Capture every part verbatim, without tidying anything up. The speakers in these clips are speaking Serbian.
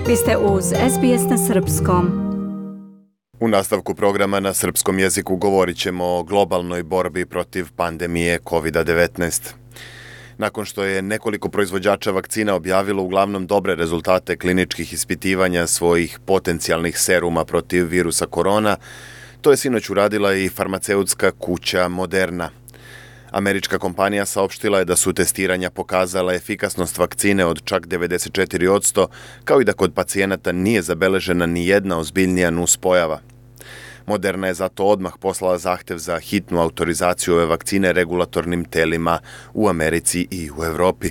Vi ste uz S B S na srpskom. U nastavku programa na srpskom jeziku govorit ćemo o globalnoj borbi protiv pandemije kovid devetnaest. Nakon što je nekoliko proizvođača vakcina objavilo uglavnom dobre rezultate kliničkih ispitivanja svojih potencijalnih seruma protiv virusa korona, to je sinoć uradila i farmaceutska kuća Moderna. Američka kompanija saopštila je da su testiranja pokazala efikasnost vakcine od čak devedeset četiri posto, kao i da kod pacijenata nije zabeležena ni jedna ozbiljnija nuspojava. Moderna je zato odmah poslala zahtev za hitnu autorizaciju ove vakcine regulatornim telima u Americi i u Evropi.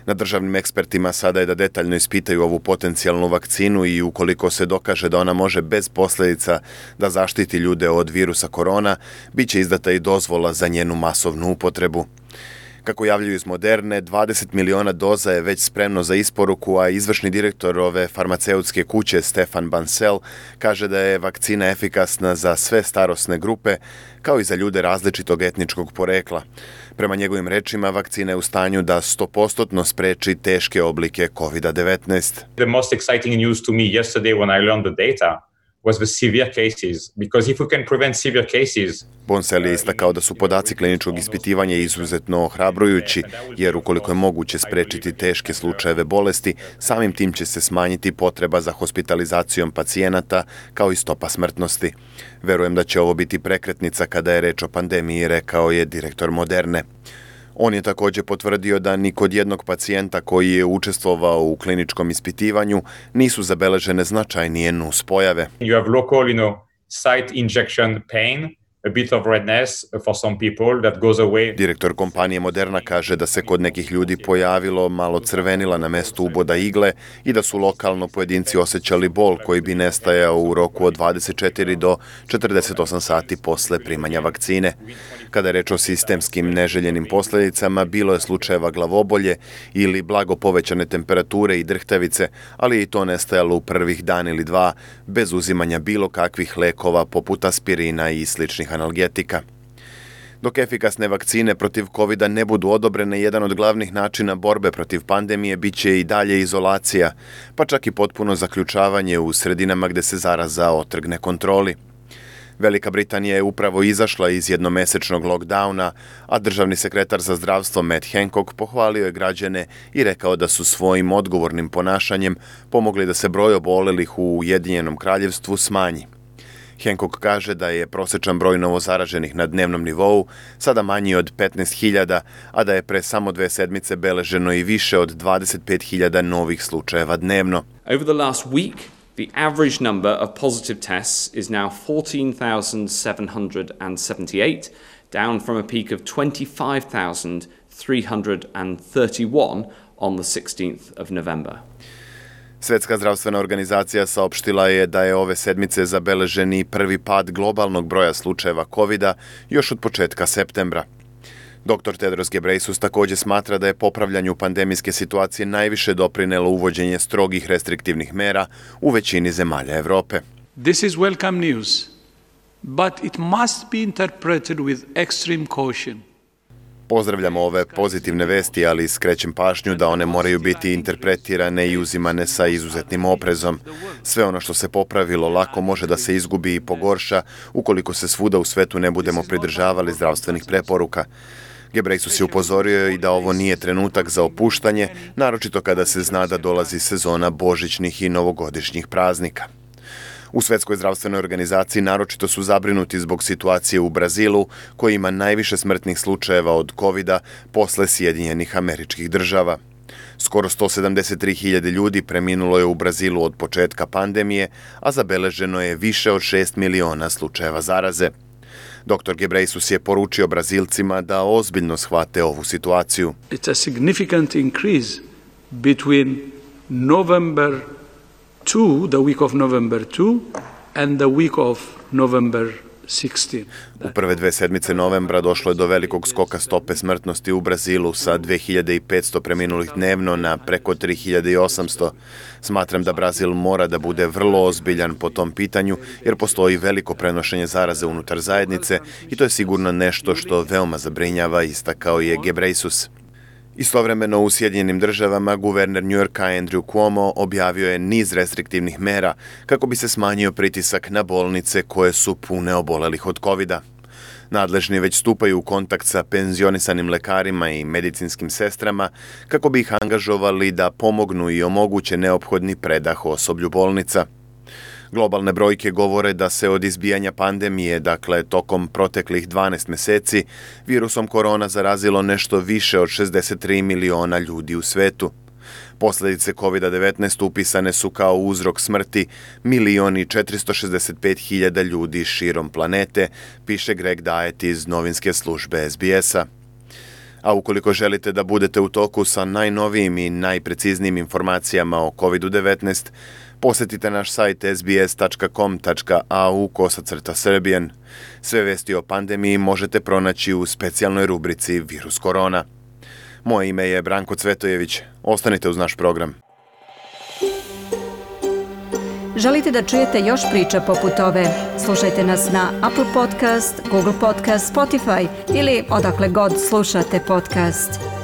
Na državnim ekspertima sada je da detaljno ispitaju ovu potencijalnu vakcinu i ukoliko se dokaže da ona može bez posljedica da zaštiti ljude od virusa korona, bit će izdata i dozvola za njenu masovnu upotrebu. Kako javljaju iz Moderne, dvadeset miliona doza je već spremno za isporuku, a izvršni direktor ove farmaceutske kuće Stefan Bancel kaže da je vakcina efikasna za sve starosne grupe, kao i za ljude različitog etničkog porekla. Prema njegovim rečima, vakcina je u stanju da sto posto spreči teške oblike kovid devetnaest. The most exciting news to me yesterday when I learned the data was the severe cases, because if we can prevent severe cases. Bancel je istakao da su podaci kliničkog ispitivanja izuzetno ohrabrujući, jer ukoliko je moguće sprečiti teške slučajeve bolesti, samim tim će se smanjiti potreba za hospitalizacijom pacijenata, kao i stopa smrtnosti. Verujem da će ovo biti prekretnica kada je reč o pandemiji, rekao je direktor Moderne. On je također potvrdio da ni kod jednog pacijenta koji je učestvovao u kliničkom ispitivanju nisu zabeležene značajnije nuspojave. You have local, you know, site injection pain, a bit of redness for some people that goes away. Direktor kompanije Moderna kaže da se kod nekih ljudi pojavilo malo crvenila na mestu uboda igle i da su lokalno pojedinci osjećali bol koji bi nestajao u roku od dvadeset četiri do četrdeset osam sati posle primanja vakcine. Kada je reč o sistemskim neželjenim posljedicama, bilo je slučajeva glavobolje ili blago povećane temperature i drhtavice, ali i to nestajalo u prvih dan ili dva, bez uzimanja bilo kakvih lekova poput aspirina i sličnih analgetika. Dok efikasne vakcine protiv kovida ne budu odobrene, jedan od glavnih načina borbe protiv pandemije bit će i dalje izolacija, pa čak i potpuno zaključavanje u sredinama gde se zaraza otrgne kontroli. Velika Britanija je upravo izašla iz jednomesečnog lockdowna, a državni sekretar za zdravstvo Matt Hancock pohvalio je građane i rekao da su svojim odgovornim ponašanjem pomogli da se broj obolelih u Ujedinjenom kraljevstvu smanji. Hancock kaže da je prosječan broj novozaraženih na dnevnom nivou sada manji od petnaest hiljada, a da je pre samo dve sedmice beleženo i više od dvadeset pet hiljada novih slučajeva dnevno. Over the last week, the average number of positive tests is now fourteen thousand seven hundred seventy-eight, down from a peak of twenty-five thousand three hundred thirty-one on the sixteenth of November. Svetska zdravstvena organizacija saopštila je da je ove sedmice zabeleženi prvi pad globalnog broja slučajeva kovida još od početka septembra. doktor Tedros Ghebreyesus također smatra da je popravljanju pandemijske situacije najviše doprinelo uvođenje strogih restriktivnih mera u većini zemalja Evrope. This is welcome news, but it must be interpreted with extreme caution. Pozdravljamo ove pozitivne vesti, ali skrećem pažnju da one moraju biti interpretirane i uzimane sa izuzetnim oprezom. Sve ono što se popravilo lako može da se izgubi i pogorša ukoliko se svuda u svetu ne budemo pridržavali zdravstvenih preporuka. Ghebreyesus je upozorio i da ovo nije trenutak za opuštanje, naročito kada se zna da dolazi sezona božićnih i novogodišnjih praznika. U Svetskoj zdravstvenoj organizaciji naročito su zabrinuti zbog situacije u Brazilu, koji ima najviše smrtnih slučajeva od kovida posle Sjedinjenih Američkih Država. Skoro sto sedamdeset tri hiljade ljudi preminulo je u Brazilu od početka pandemije, a zabeleženo je više od šest miliona slučajeva zaraze. doktor Ghebreyesus je poručio Brazilcima da ozbiljno shvate ovu situaciju. It's a significant increase between November two, the week of November two, and the week of November sixteenth. U prve dve sedmice novembra došlo je do velikog skoka stope smrtnosti u Brazilu sa dve hiljade petsto preminulih dnevno na preko tri hiljade osamsto. Smatram da Brazil mora da bude vrlo ozbiljan po tom pitanju, jer postoji veliko prenošenje zaraze unutar zajednice i to je sigurno nešto što veoma zabrinjava, istakao je Ghebreyesus. Istovremeno u Sjedinjenim državama guverner New Yorka Andrew Cuomo objavio je niz restriktivnih mera kako bi se smanjio pritisak na bolnice koje su pune obolelih od kovida. Nadležni već stupaju u kontakt sa penzionisanim lekarima i medicinskim sestrama kako bi ih angažovali da pomognu i omoguće neophodni predah osoblju bolnica. Globalne brojke govore da se od izbijanja pandemije, dakle tokom proteklih dvanaest meseci, virusom korona zarazilo nešto više od šezdeset tri miliona ljudi u svetu. Posledice kovida devetnaest upisane su kao uzrok smrti milion i četiristo šezdeset pet hiljada ljudi širom planete, piše Greg Diet iz novinske službe S B S-a. A ukoliko želite da budete u toku sa najnovijim i najpreciznijim informacijama o kovid devetnaest, posetite naš sajt s b s tačka com tačka a u kosacrta Serbian. Sve vesti o pandemiji možete pronaći u specijalnoj rubrici Virus korona. Moje ime je Branko Cvetojević. Ostanite uz naš program. Želite da čujete još priča poput ove? Slušajte nas na Apple Podcast, Google Podcast, Spotify ili odakle god slušate podcast.